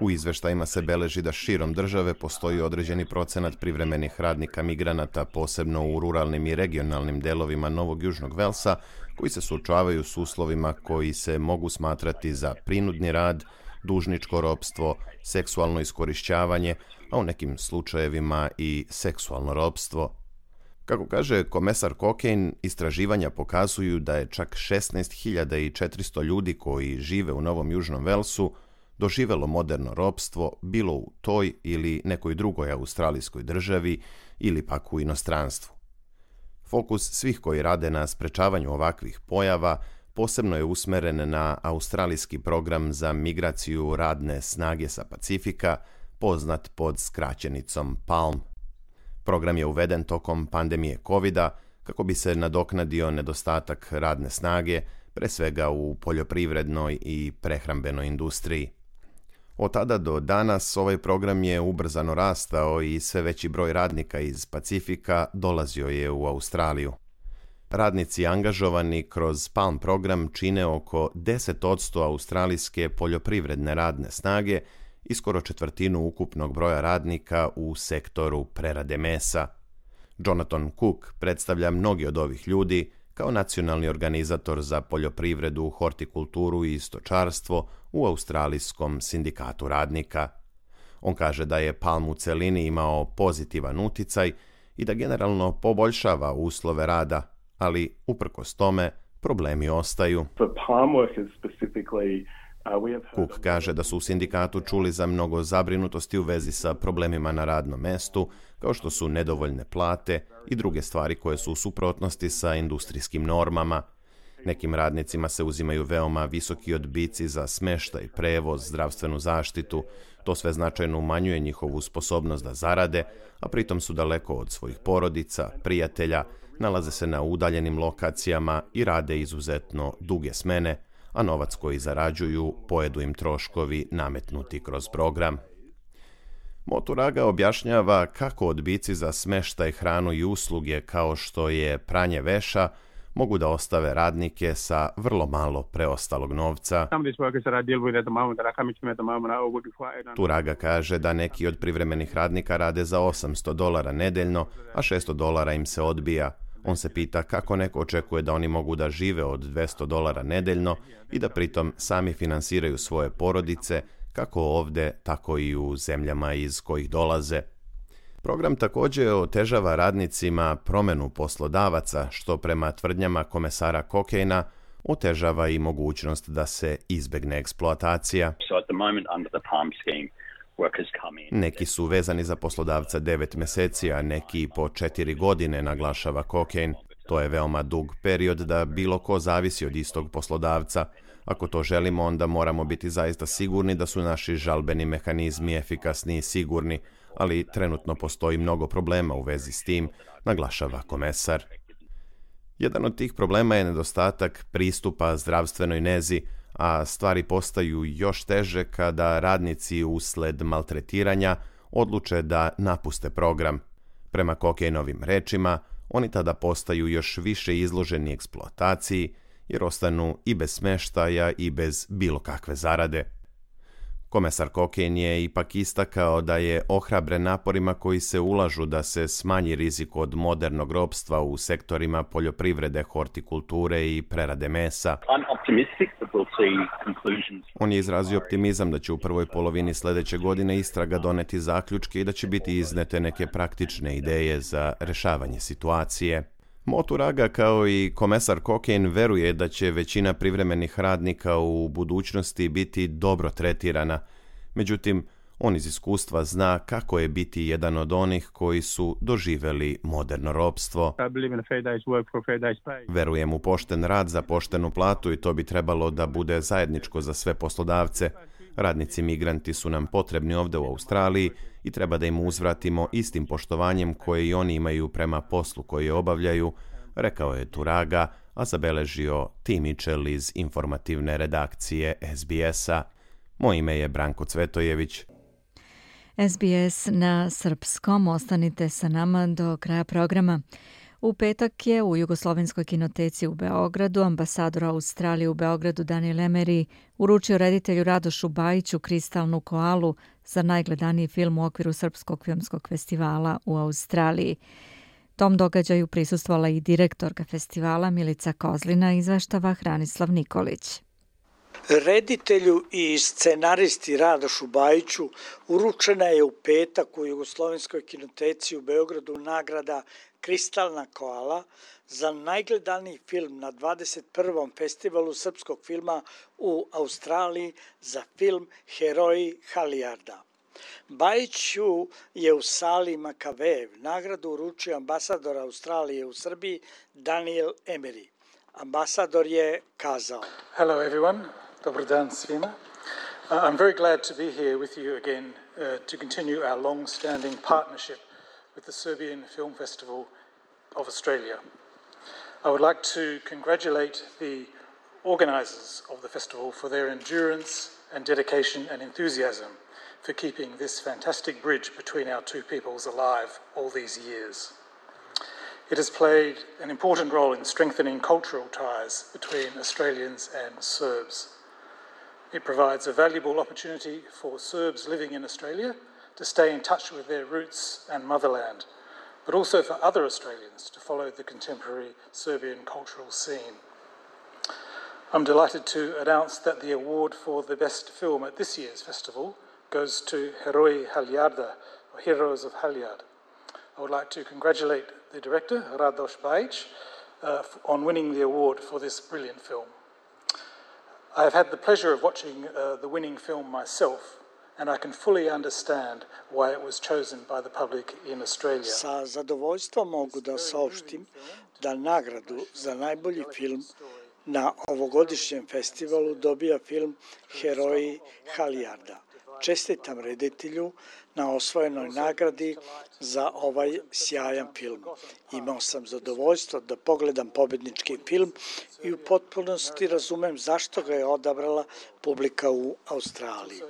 U izveštajima se beleži da širom države postoji određeni procenat privremenih radnika migranata, posebno u ruralnim i regionalnim delovima Novog Južnog Velsa, koji se suočavaju s uslovima koji se mogu smatrati za prinudni rad, dužničko ropstvo, seksualno iskorišćavanje, a u nekim slučajevima i seksualno ropstvo. Kako kaže komesar Cokayne, istraživanja pokazuju da je čak 16.400 ljudi koji žive u Novom Južnom Velsu doživelo moderno ropstvo bilo u toj ili nekoj drugoj australijskoj državi ili pak u inostranstvu. Fokus svih koji rade na sprečavanju ovakvih pojava posebno je usmeren na australijski program za migraciju radne snage sa Pacifika, poznat pod skraćenicom PALM. Program je uveden tokom pandemije COVID-a kako bi se nadoknadio nedostatak radne snage, pre svega u poljoprivrednoj i prehrambenoj industriji. Od tada do danas ovaj program je ubrzano rastao i sve veći broj radnika iz Pacifika dolazio je u Australiju. Radnici angažovani kroz PALM program čine oko 10% australijske poljoprivredne radne snage i skoro četvrtinu ukupnog broja radnika u sektoru prerade mesa. Jonathan Cook predstavlja mnogi od ovih ljudi kao nacionalni organizator za poljoprivredu, hortikulturu i stočarstvo u Australijskom sindikatu radnika. On kaže da je PALM u celini imao pozitivan uticaj i da generalno poboljšava uslove rada, ali uprkos tome problemi ostaju. Cook kaže da su u sindikatu čuli za mnogo zabrinutosti u vezi sa problemima na radnom mestu, kao što su nedovoljne plate i druge stvari koje su u suprotnosti sa industrijskim normama. Nekim radnicima se uzimaju veoma visoki odbici za smeštaj, prevoz, zdravstvenu zaštitu. To sve značajno umanjuje njihovu sposobnost da zarade, a pritom su daleko od svojih porodica, prijatelja, nalaze se na udaljenim lokacijama i rade izuzetno duge smene, a novac koji zarađuju pojedu im troškovi nametnuti kroz program. Moturaga objašnjava kako odbici za smeštaj, hranu i usluge kao što je pranje veša mogu da ostave radnike sa vrlo malo preostalog novca. Turaga kaže da neki od privremenih radnika rade za $800 nedeljno, a $600 im se odbija. On se pita kako neko očekuje da oni mogu da žive od $200 nedeljno i da pritom sami finansiraju svoje porodice, kako ovde, tako i u zemljama iz kojih dolaze. Program također otežava radnicima promenu poslodavaca, što prema tvrdnjama komesara Cokayna otežava i mogućnost da se izbegne eksploatacija. Neki su vezani za poslodavca 9 meseci, a neki po 4 godine, naglašava Cokayne. To je veoma dug period da bilo ko zavisi od istog poslodavca. Ako to želimo, onda moramo biti zaista sigurni da su naši žalbeni mehanizmi efikasni i sigurni, ali trenutno postoji mnogo problema u vezi s tim, naglašava komesar. Jedan od tih problema je nedostatak pristupa zdravstvenoj nezi, a stvari postaju još teže kada radnici usled maltretiranja odluče da napuste program. Prema Cokaynovim rečima, oni tada postaju još više izloženi eksploataciji, jer ostanu i bez smeštaja i bez bilo kakve zarade. Komesar Cokayne je ipak istakao da je ohrabren naporima koji se ulažu da se smanji rizik od modernog ropstva u sektorima poljoprivrede, hortikulture i prerade mesa. On je izrazio optimizam da će u prvoj polovini sljedeće godine istraga doneti zaključke i da će biti iznete neke praktične ideje za rešavanje situacije. Moturaga kao i komesar Cokayne veruje da će većina privremenih radnika u budućnosti biti dobro tretirana. Međutim, on iz iskustva zna kako je biti jedan od onih koji su doživjeli moderno ropstvo. Verujem u pošten rad za poštenu platu i to bi trebalo da bude zajedničko za sve poslodavce. Radnici migranti su nam potrebni ovdje u Australiji i treba da im uzvratimo istim poštovanjem koje i oni imaju prema poslu koji obavljaju, rekao je Turaga, a zabeležio Tim Mitchell iz informativne redakcije SBS-a. Moje ime je Branko Cvetojević. SBS na srpskom, ostanite sa nama do kraja programa. U petak je u Jugoslovenskoj kinoteci u Beogradu ambasador Australije u Beogradu Daniel Emery uručio reditelju Radošu Bajiću kristalnu koalu za najgledaniji film u okviru Srpskog filmskog festivala u Australiji. Tom događaju prisustvovala i direktorka festivala Milica Kozlina, izveštava Hranislav Nikolić. Reditelju i scenaristi Radošu Bajiću uručena je u petak u Jugoslovenskoj kinoteci u Beogradu nagrada Kristalna koala za najgledaniji film na 21. festivalu srpskog filma u Australiji za film Heroji Halijarda. Bajiću je u sali Makavejev nagradu uručio ambasador Australije u Srbiji Daniel Emery. Ambasador je kazao: Hello everyone. Dobar dan svima. I'm very glad to be here with you again to continue our long-standing partnership with the Serbian Film Festival of Australia. I would like to congratulate the organisers of the festival for their endurance and dedication and enthusiasm for keeping this fantastic bridge between our two peoples alive all these years. It has played an important role in strengthening cultural ties between Australians and Serbs. It provides a valuable opportunity for Serbs living in Australia to stay in touch with their roots and motherland, but also for other Australians to follow the contemporary Serbian cultural scene. I'm delighted to announce that the award for the best film at this year's festival goes to Heroji Halijarda, or Heroes of Halijard. I would like to congratulate the director, Radoš Bajić, on winning the award for this brilliant film. I have had the pleasure of watching the winning film myself, and I can fully understand why it was chosen by the public in Australia. Sa zadovoljstvom mogu da saopštim da nagradu za najbolji film na ovogodišnjem festivalu dobija film Heroji Halijarda. Čestitam reditelju na osvojenoj nagradi za ovaj sjajan film. Imao sam zadovoljstvo da pogledam pobednički film i u potpunosti razumem zašto ga je odabrala publika u Australiji.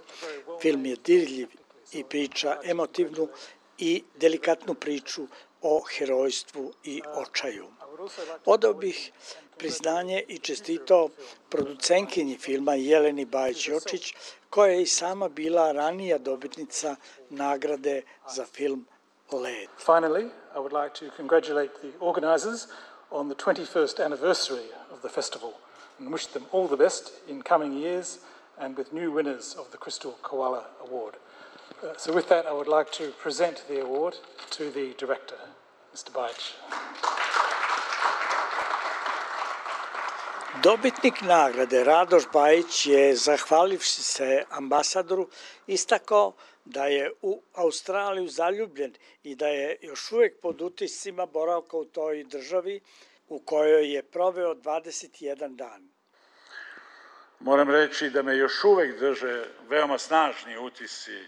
Film je dirljiv i priča emotivnu i delikatnu priču o herojstvu i očaju. Odao bih priznanje i čestitao producentkinji filma Jeleni Bajić-Jočić, koja je i sama bila ranija dobitnica nagrade za film Led. Finally, I would like to congratulate the organisers on the 21st anniversary of the festival and wish them all the best in coming years and with new winners of the Crystal Koala Award. So with that, I would like to present the award to the director, Mr. Bajić. Dobitnik nagrade Radoš Bajić je, zahvalivši se ambasadoru, istakao da je u Australiju zaljubljen i da je još uvijek pod utiscima boravka u toj državi u kojoj je proveo 21 dan. Moram reći da me još uvijek drže veoma snažni utisci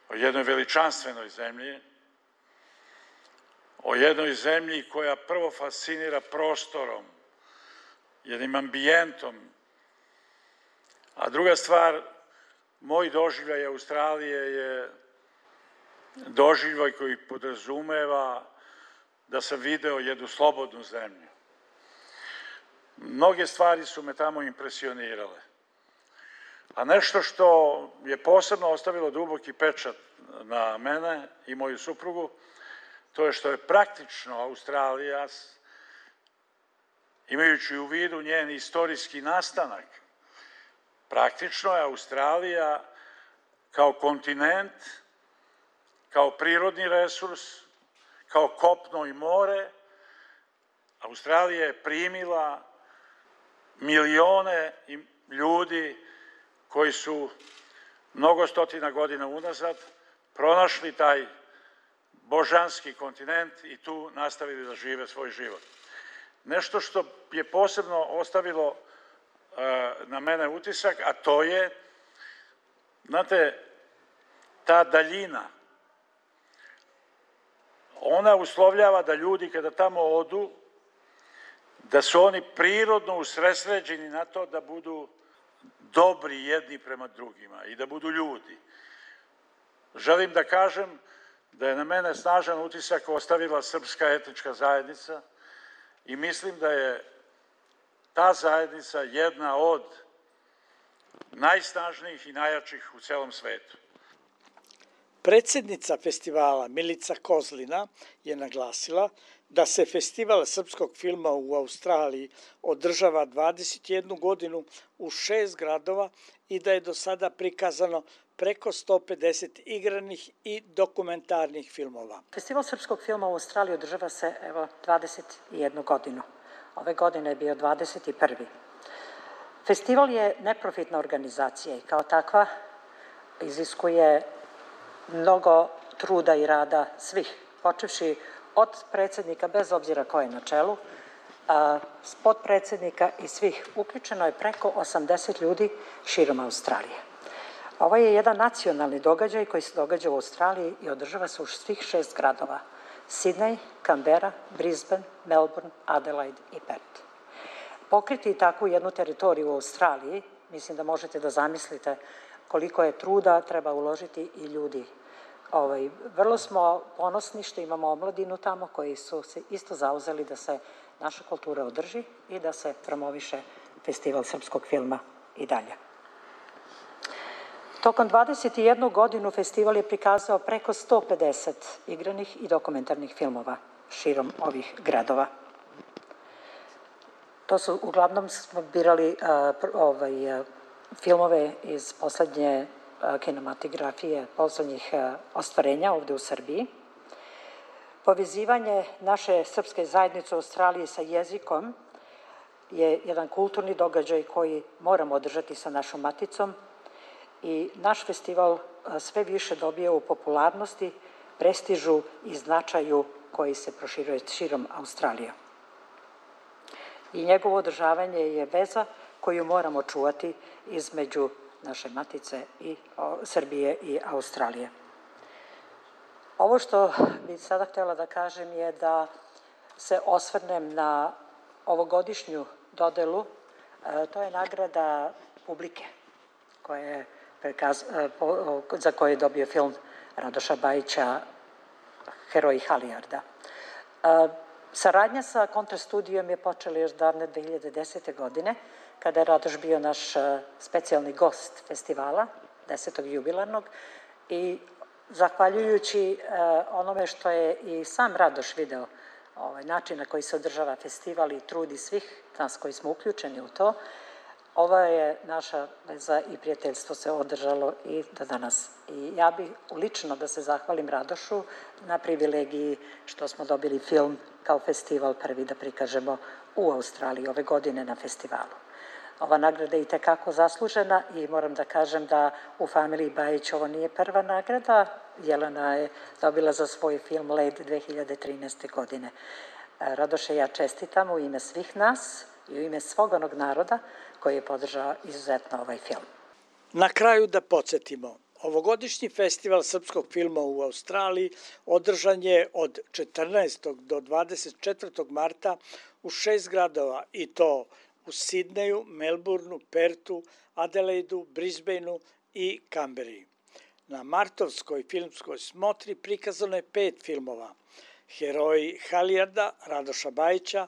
o jednoj veličanstvenoj zemlji, o jednoj zemlji koja prvo fascinira prostorom, jednim ambijentom, a druga stvar, moj doživljaj Australije je doživljaj koji podrazumeva da sam video jednu slobodnu zemlju. Mnoge stvari su me tamo impresionirale. A nešto što je posebno ostavilo duboki pečat na mene i moju suprugu, to je što je praktično Australija, imajući u vidu njen istorijski nastanak, praktično je Australija kao kontinent, kao prirodni resurs, kao kopno i more, Australija je primila milione ljudi koji su mnogo stotina godina unazad pronašli taj božanski kontinent i tu nastavili da žive svoj život. Nešto što je posebno ostavilo na mene utisak, a to je, znate, ta daljina, ona uslovljava da ljudi kada tamo odu, da su oni prirodno usredsređeni na to da budu dobri jedni prema drugima i da budu ljudi. Želim da kažem da je na mene snažan utisak ostavila srpska etnička zajednica i mislim da je ta zajednica jedna od najsnažnijih i najjačih u celom svetu. Predsednica festivala Milica Kozlina je naglasila da se festival srpskog filma u Australiji održava 21 godinu u 6 gradova i da je do sada prikazano preko 150 igranih i dokumentarnih filmova. Festival srpskog filma u Australiji održava se 21 godinu. Ove godine je bio 21. Festival je neprofitna organizacija i kao takva iziskuje mnogo truda i rada svih, počevši od predsjednika, bez obzira ko je na čelu, potpredsjednika i svih. Uključeno je preko 80 ljudi širom Australije. Ovo je jedan nacionalni događaj koji se događa u Australiji i održava se u svih 6 gradova. Sydney, Canberra, Brisbane, Melbourne, Adelaide i Perth. Pokriti takvu jednu teritoriju u Australiji, mislim da možete da zamislite koliko je truda treba uložiti i ljudi. Vrlo smo ponosni što imamo omladinu tamo koji su se isto zauzeli da se naša kultura održi i da se promoviše festival srpskog filma i dalje. Tokom 21 godinu festival je prikazao preko 150 igranih i dokumentarnih filmova širom ovih gradova. To su, uglavnom smo birali filmove iz poslednje kinematografije, poslednjih ostvarenja ovde u Srbiji. Povezivanje naše srpske zajednice u Australiji sa jezikom je jedan kulturni događaj koji moramo održati sa našom maticom i naš festival sve više dobija u popularnosti, prestižu i značaju koji se proširuje širom Australije. I njegovo održavanje je veza koju moramo čuvati između naše matice i Srbije i Australije. Ovo što bih sada htjela da kažem je da se osvrnem na ovogodišnju dodelu, to je nagrada publike za koju je dobio film Radoša Bajića Heroji Halijarda. Saradnja sa Kontra studijom je počela još davne 2010. godine, kada je Radoš bio naš specijalni gost festivala, 10. jubilarnog, i zahvaljujući onome što je i sam Radoš video, način na koji se održava festival i trudi svih nas koji smo uključeni u to, ova je naša veza i prijateljstvo se održalo i do danas. I ja bih lično da se zahvalim Radošu na privilegiji što smo dobili film kao festival prvi da prikažemo u Australiji ove godine na festivalu. Ova nagrada je i tekako zaslužena i moram da kažem da u familiji Bajić ovo nije prva nagrada. Jelena je dobila za svoj film Led 2013. godine. Radoše, ja čestitam u ime svih nas i u ime svog onog naroda koji je podržao izuzetno ovaj film. Na kraju da podsjetimo, ovogodišnji festival srpskog filma u Australiji održan je od 14. do 24. marta u 6 gradova i to u Sidneju, Melbourneu, Pertu, Adelaidu, Brisbaneu i Kamberi. Na martovskoj filmskoj smotri prikazano je 5 filmova. Heroji Halijarda, Radoša Bajića,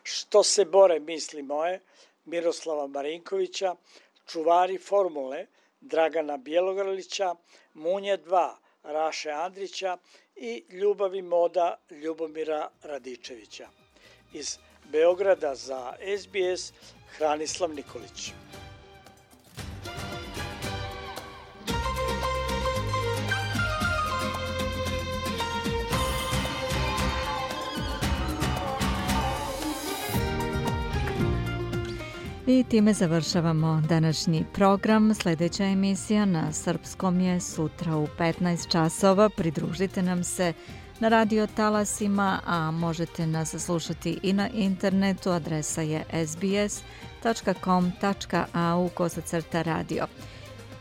Što se bore misli moje, Miroslava Marinkovića, Čuvari formule, Dragana Bjelogrlića, Munje 2, Raše Andrića i Ljubav i moda Ljubomira Radičevića. Iz Beograda za SBS, Hranislav Nikolić. I time završavamo današnji program. Sljedeća emisija na srpskom je sutra u 15 časova. Pridružite nam se na radio talasima, a možete nas slušati i na internetu. Adresa je sbs.com.au/radio.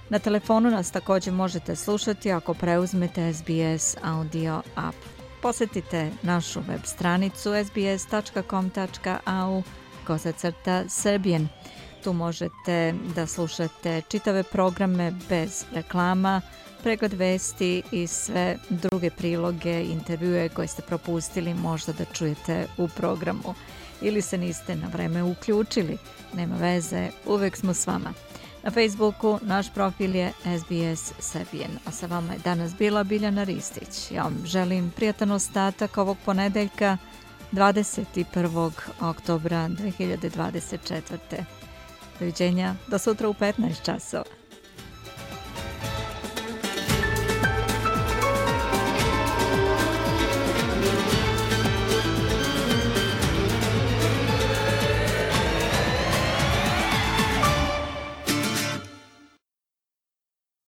Na telefonu nas također možete slušati ako preuzmete SBS audio app. Posjetite našu web stranicu sbs.com.au/Serbian. Tu možete da slušate čitave programe bez reklama, pregled vesti i sve druge priloge, intervjue koje ste propustili možda da čujete u programu. Ili se niste na vreme uključili. Nema veze, uvek smo s vama. Na Facebooku naš profil je SBS Serbian, a sa vama je danas bila Biljana Ristić. Ja vam želim prijatan ostatak ovog ponedeljka 21. oktobra 2024. Doviđenja do sutra u 15 časova.